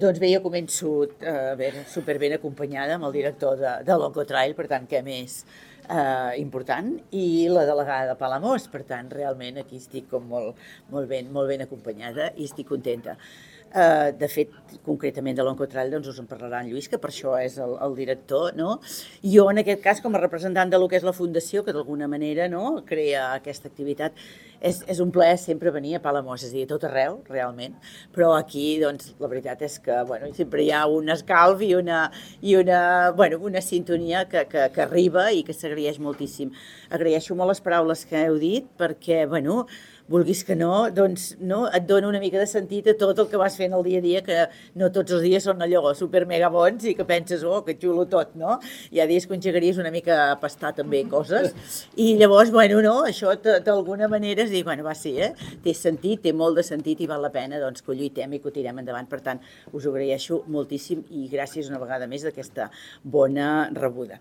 Doncs bé, jo començo superben acompanyada amb el director de l'Oncotrail, per tant, què més important, i la delegada de Palamós, per tant, realment aquí estic com molt ben acompanyada i estic contenta. De fet, concretament de l'Oncotrail, doncs us en parlarà en Lluís, que per això és el director, no? Jo, en aquest cas, com a representant de lo que és la Fundació, que d'alguna manera no, crea aquesta activitat, és un plaer sempre venir a Palamós, és a dir, a tot arreu, realment, però aquí, doncs, la veritat és que, bueno, sempre hi ha un escalf i una sintonia que arriba i que s'agraeix moltíssim. Agraeixo molt les paraules que heu dit, perquè, bueno, vulguis que no, doncs no, et dona una mica de sentit a tot el que vas fent el dia a dia, que no tots els dies són allò super mega bons i que penses, oh, que xulo tot, no? Hi ha dies que engegaries una mica a pastar també coses, i llavors, bueno, no, això d'alguna manera és dir, bueno, va, sí, té sentit, té molt de sentit i val la pena doncs, que ho lluitem i que ho tirem endavant. Per tant, us ho agraeixo moltíssim i gràcies una vegada més d'aquesta bona rebuda.